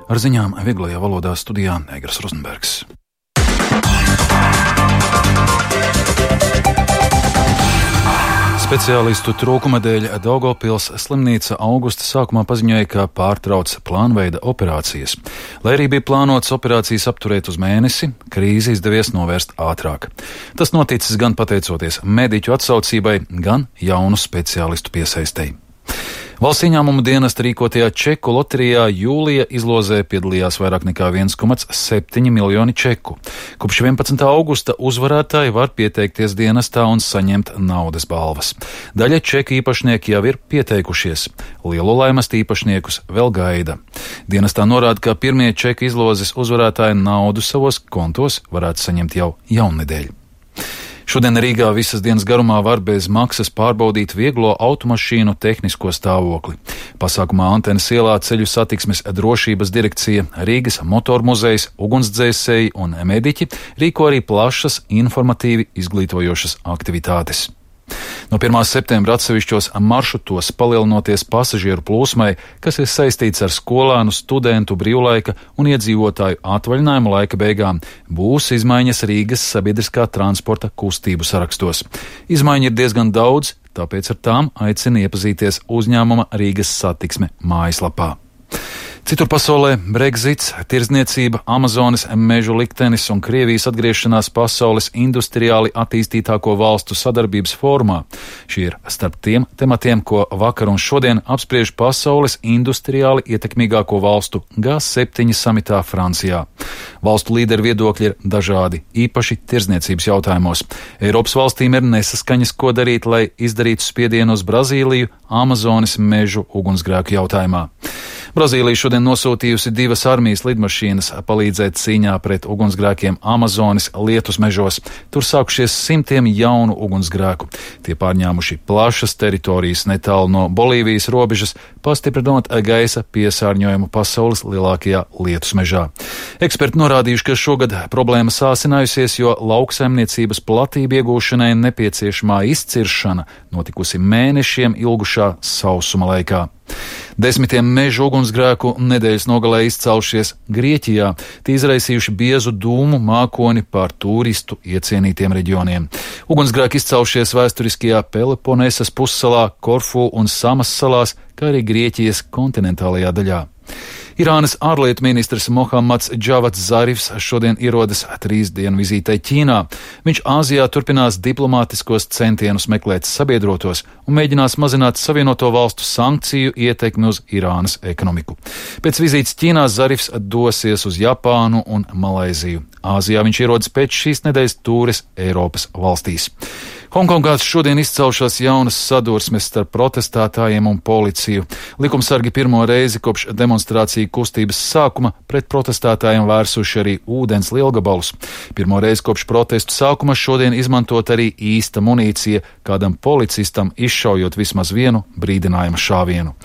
Ar ziņām vieglajā valodā studijā Egers Rozenbergs. Speciālistu trūkuma dēļ Daugavpils slimnīca augusta sākumā paziņoja, ka pārtrauc plānveida operācijas. Lai arī bija plānots operācijas apturēt uz mēnesi, krīzi izdevies novērst ātrāk. Tas noticis gan pateicoties mediķu atsaucībai, gan jaunu speciālistu piesaistei. Valsts ieņēmumu dienesta rīkotajā čeku loterijā jūlija izlozē piedalījās vairāk nekā 1,7 miljoni čeku. Kopš 11. augusta uzvarētāji var pieteikties dienestā un saņemt naudas balvas. Daļa čeku īpašnieki jau ir pieteikušies. Lielo laimes īpašniekus vēl gaida. Dienestā norāda, ka pirmie čeku izlozes uzvarētāji naudu savos kontos varētu saņemt jau jaunedēļ. Šodien Rīgā visas dienas garumā var bez maksas pārbaudīt vieglo automašīnu tehnisko stāvokli. Pasākumā Antenes ielā Ceļu satiksmes drošības direkcija, Rīgas motormuzejs, ugunsdzēsēji un mediķi rīko arī plašas informatīvi izglītojošas aktivitātes. No 1. septembra atsevišķos maršrutos palielinoties pasažieru plūsmai, kas ir saistīts ar skolānu, studentu, brīvlaika un iedzīvotāju atvaļinājumu laika beigām, būs izmaiņas Rīgas sabiedriskā transporta kustību sarakstos. Izmaiņu ir diezgan daudz, tāpēc ar tām aicina iepazīties uzņēmuma Rīgas satiksme mājaslapā. Citur pasaulē Brexits, tirdzniecība, Amazonas mežu liktenis un Krievijas atgriešanās pasaules industriāli attīstītāko valstu sadarbības fórumā. Šie ir starp tiem tematiem, ko vakar un šodien apspriež pasaules industriāli ietekmīgāko valstu G7 samitā Francijā. Valstu līderu viedokļi ir dažādi, īpaši tirdzniecības jautājumos. Eiropas valstīm ir nesaskaņas, ko darīt, lai izdarītu spiedienu uz Brazīliju Amazonas mežu ugunsgrēku jautājumā. Brazīlija šodien nosūtījusi 2 armijas lidmašīnas palīdzēt cīņā pret ugunsgrēkiem Amazonas lietus mežos. Tur sākušies simtiem jaunu ugunsgrēku. Tie pārņēmuši plašas teritorijas netālu no Bolīvijas robežas, pastiprinot gaisa piesārņojumu pasaules lielākajā lietus mežā. Eksperti norādījuši, ka šogad problēma sāsinājusies, jo lauksaimniecības platību iegūšanai nepieciešamā izciršana notikusi mēnešiem ilgušā sausuma laikā. Desmitiem mežu ugunsgrēku nedēļas nogalē izcēlušies Grieķijā, tie izraisījuši biezu dūmu mākoni pār turistu iecienītiem reģioniem. Ugunsgrēki izcēlušies vēsturiskajā Peloponesas pussalā, Korfu un Samas salās, kā arī Grieķijas kontinentālajā daļā. Irānas ārlietu ministrs Mohammads Džavats Zarifs šodien ierodas 3 dienu vizītei Ķīnā. Viņš Āzijā turpinās diplomātiskos centienus meklēt sabiedrotos un mēģinās mazināt Savienoto valstu sankciju ietekmi uz Irānas ekonomiku. Pēc vizītes Ķīnā Zarifs dosies uz Japānu un Malaiziju. Āzijā viņš ierodas pēc šīs nedēļas tūres Eiropas valstīs. Hongkongā šodien izcelšās jaunas sadursmes starp protestētājiem un policiju. Likumsargi pirmo reizi kopš demonstrāciju kustības sākuma pret protestētājiem vērsuši arī ūdens lielgabalus. Pirmo reizi kopš protestu sākuma šodien izmantot arī īsta munīcija, kādam policistam izšaujot vismaz vienu brīdinājuma šāvienu.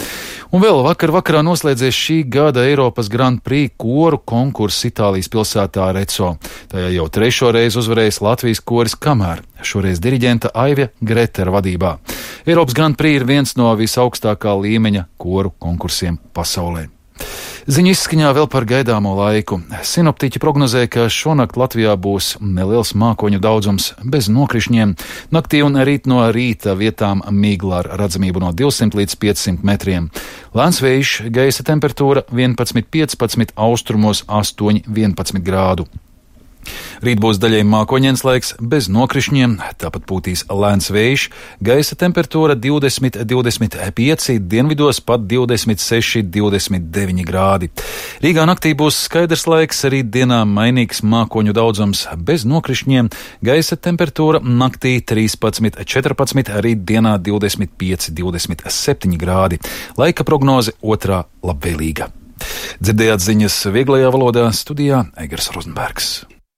Un vēl vakarā noslēdzies šī gada Eiropas Grand Prix koru konkurss Itālijas pilsētā Arezzo. Tajā jau 3. reizi uzvarējis Latvijas koris Kamēr, šoreiz diriģenta Aivija Gretera vadībā. Eiropas Grand Prix ir viens no visaugstākā līmeņa koru konkursiem pasaulē. Ziņu izskaņā vēl par gaidāmo laiku. Sinoptiķi prognozē, ka šonakt Latvijā būs neliels mākoņu daudzums bez nokrišņiem. Naktī un rīt no rīta vietām migla ar redzamību no 200 līdz 500 metriem. Lēns vējš, gaisa temperatūra 11,15, austrumos 8,11 grādu. Rīt būs daļai mākoņains laiks bez nokrišņiem, tāpat pūtīs lēns vējš, gaisa temperatūra 20-25, dienvidos pat 26-29 grādi. Rīgā naktī būs skaidrs laiks, rīt dienā mainīgs mākoņu daudzums bez nokrišņiem, gaisa temperatūra naktī 13-14, rīt dienā 25-27 grādi. Laika prognoze otrā labvēlīga. Dzirdējāt ziņas vieglajā valodā, studijā Egers Rozenbergs.